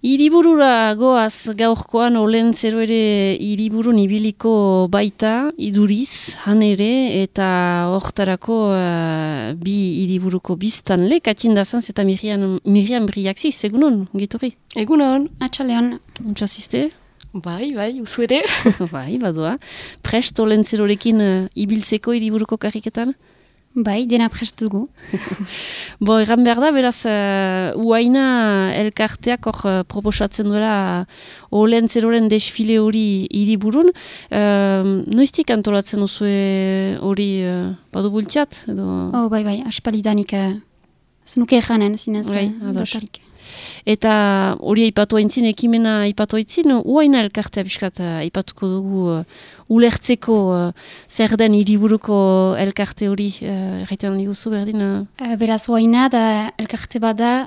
Hiriburura goaz gaurkoan Olentzero ere hiriburun ibiliko baita, iduriz, han ere, eta hortarako bi hiriburuko biztanle, katxindazanz eta Miriam Briaxiz, egunon, giturri? Egunon. Atxalean. Untxazizte? Bai, uzu ere. Bai, badua. Prest Olentzerorekin ibiltzeko hiriburuko karriketan? Bai, dena prest dugu. Bo, egan behar da, beraz, Uaina elkarteak hor proposatzen duela Olentzeroren desfile hori hiriburun. Noiztik antolatzen duzue hori badu bultxat? Oh, bai, aspalidanik zenuke eganen, zinez. Bai, ados. Eta hori aipatu aintzin, ekimena aipatu aintzin, Uaina elkartea biskat aipatuko dugu ulertzeko zer den hiriburuko elkarte hori, erraiten diguzu berdin? Beraz, Uaina da elkarte bada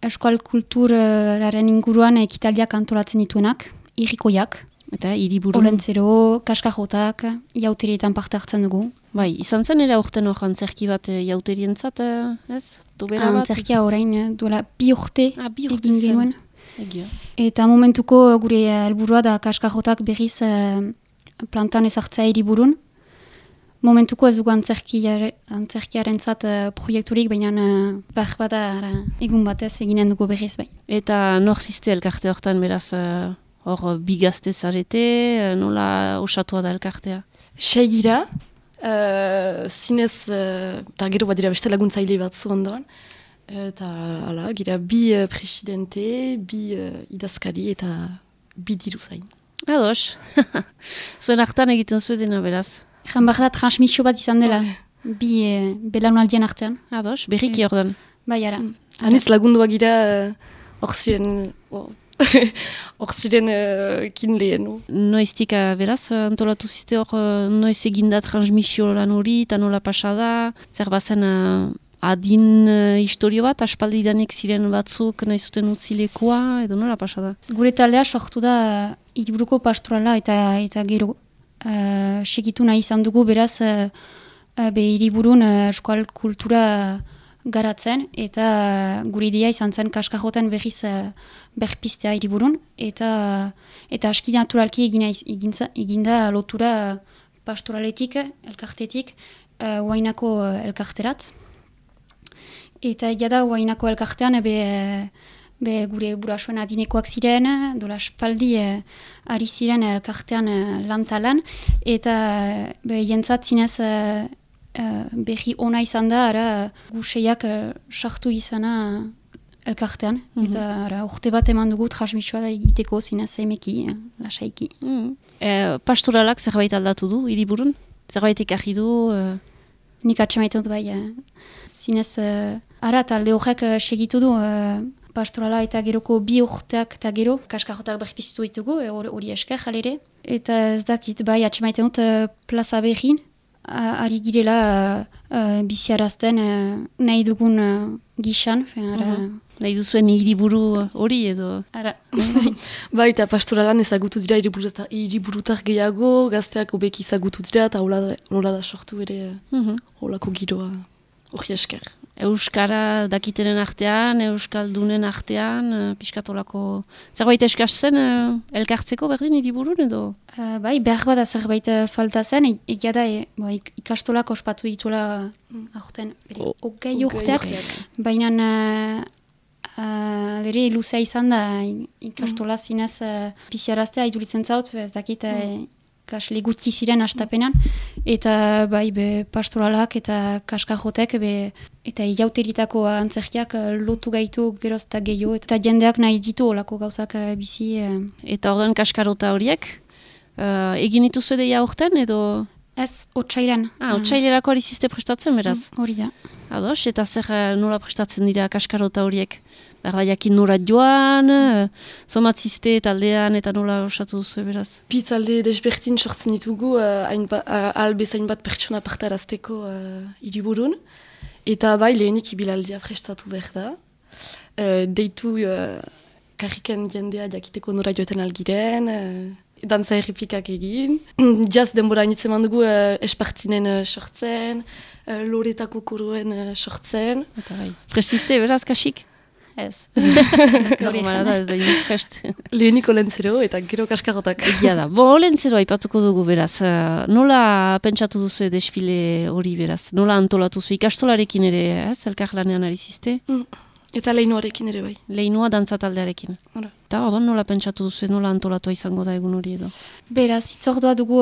euskal kulturaren inguruan ekitaldiak antolatzen dituenak, irrikoiak. Eta hiriburun? Olentzero, kaskajotak, jauterietan parte hartzen dugu. Bai, izan zen ere aurten hor antzerki bat jauterientzat, ez? Antzerkia orain duela 2 urte egin genuen. Egia. Eta momentuko gure helburua da kaskajotak berriz plantan ezartzea hiriburun. Momentuko ez dugu antzerkiarentzat proiekturik, baina behar bada egun batez eginen dugu berriz bai. Eta nor ziste elkarte hortan beraz hor bigazte zarete, nola osatua da elkartea? Segira. Zinez, eta gero bat dira beste laguntzaile bat zu ondoan. Eta, ala, gira, bi presidente, bi idazkari eta bi diru zain. Ados. Zuen hartan egiten zuetena, beraz. Egan behar da transmisio bat izan dela, bi belaunaldien artean. Ados, berriki ordan. Bai, ara. Haniz lagundua gira, hor ziren kin lehen. Noiztik beraz, antolatu ziste hor, noiz eginda transmisio lan hori, eta nola pasada, zer bazen adin historio bat, aspaldidanek ziren batzuk nahi zuten utzilekoa, edo nola pasada? Gure taldea sortu da hiriburuko pastorala eta gero segitu nahi izan dugu, beraz, hiriburun euskal kultura garatzen, eta gure idea izan zen kaskajoten berriz berpiztea hiriburun, eta aski naturalki eginda lotura pastoraletik, elkartetik, Uainako elkarterat. Eta egia da Uainako elkartean gure burasuen adinekoak ziren, dola espaldi ari ziren elkartean lantalan, eta jentzat zinez berri ona izan da, ara guseiak sartu izana elkartean, eta urte bat eman dugu transmisioa egiteko zinez emeki, lasaiki. Pastoralak zerbait aldatu du, hiriburun? Zerbait ekarri du? Nik atxemaiten dut bai. Zinez, ara talde horrek segitu du pastorala eta geroko 2 urteak eta gero, kaskajotak berpiztu ditugu, hori esker jalere. Eta ez dakit bai atxemaiten dut plaza berrin, ari girela biziarazten nahi dugun gixan. Nahi duzuen hiriburu hori edo? Bai, eta pastoralan ezagutu dira hiriburutar gehiago, gazteak obeki ezagutu dira, eta hola da sortu ere holako giroa hori esker. Euskara dakitenen artean, euskaldunen artean, piskatolako zerbait eskaz zen elkartzeko berdin hiriburun edo? Bai, behar bada zerbait falta zen, egia da ikastolak ospatu dituela aurten, hogei urteak, baina ere luzea izan da ikastola zinez biziaraztea iduritzen zaut, ez dakit kasle gutxi ziren astapenan, eta bai pastoralak eta kaskajotek eta jauteritako antzerkiak lotu gaitu geroz eta gehiago, eta jendeak nahi ditu olako gauzak bizi. Eta ordan kaskarota horiek, egin dituzu edeia urten edo? Ez, otsailan. Otsailerako ari ziste prestatzen, beraz? Hori da. Ados, eta zer nola prestatzen dira kaskarota horiek? Berda jakin nora joan, somatziste taldean eta nola osatu duzu, beraz? Bi talde desbertin sortzen ditugu, albezain bat pertsona partarazteko hiriburun. Eta bai lehenik ibilaldia prestatu behar da. Deitu karriken jendea jakiteko nora joeten algiren, dantza errepikak egin. Jaz denbora initzen dugu espartinen sortzen, loretako koroen sortzen. Eta bai. Presiste, beraz, kasik? Ez. Normala da, ez da inoiz prest. Leheniko lentzero eta gero kaskarrotak. Egia da. Bo, lentzero aipatuko dugu beraz. Nola pentsatu duzu desfile hori beraz? Nola antolatu zu? Ikastolarekin ere, elkar lanean ari ziste? Eta lehinuarekin ere bai. Leinua dantza taldearekin. Hala. Eta odon nola pentsatu duzu, nola antolatua izango da egun hori edo? Beraz, itzordua dugu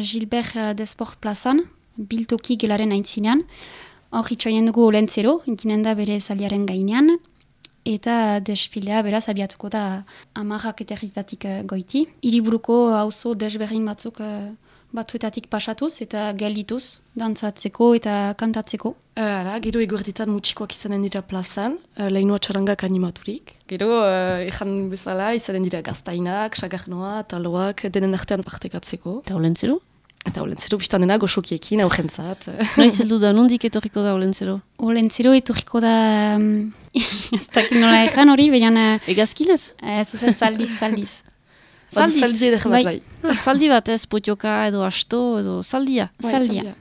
Gilbert Desport plazan, biltoki gelaren aintzinean. Hor itxoinen dugu lentzero, ginen da bere zaliaren gainean. Eta desfilea beraz abiatuko da 10 eterritatik goiti. Hiriburuko auzo desberdin batzuk batzuetatik pasatuz eta geldituz, dantzatzeko eta kantatzeko. Gero eguerditan mutxikoak izanen dira plazan, lehinoa txarangak animaturik. Gero, ezan bezala, izanen dira gaztainak, sagarnoa, taloak, denen artean partekatzeko. Eta olentzero? Eta olentzero biztan dena goxokiekin, aurrentzat. Noiz heldu da, nondik etorriko da olentzero? Olentzero etorriko da, ez dakit nola ezan hori, baina... Egazkinez? Ez zaldiz. Zaldi edek bat bai. Zaldi bat ez, potioka edo asto edo zaldia. Zaldia.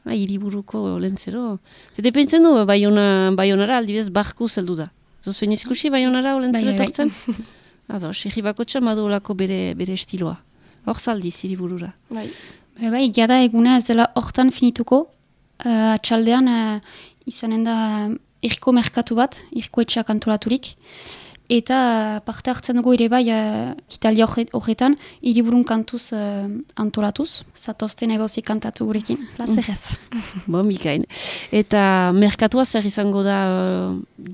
Hiriburuko olentzero. Zete pentzen du, Baionara aldibez barku zeldu da. Zuzuen izkusi Baionara olentzero etortzen? Ado, segi bakotxa madu olako bere estiloa. Hor zaldiz hiriburura. Bai, jada eguna ez dela hortan finituko. Atxaldean izanen da irko merkatu bat, irko etxeak antolaturik. Eta parte hartzen dugu ere bai kitaldia horretan, hiriburun kantuz antolatuz. Zatozten egauzi kantatu gurekin, lazerrez. Bon, bikain. Eta merkatua zer izango da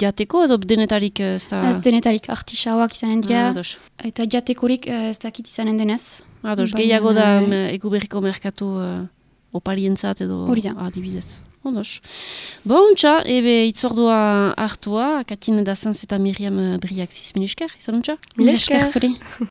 jateko edo denetarik ez da? Ez denetarik, artisauak izanen dira. Ados. Eta jatekorik ez dakit izanen denez. Ados, gehiago da eguberriko merkatu oparientzat edo adibidez. Ondos. Bon, txa, ebe itzordua hartua, Katin Dazanz eta Miriam Briak zizmin esker, izan untxa? Mil esker zuri.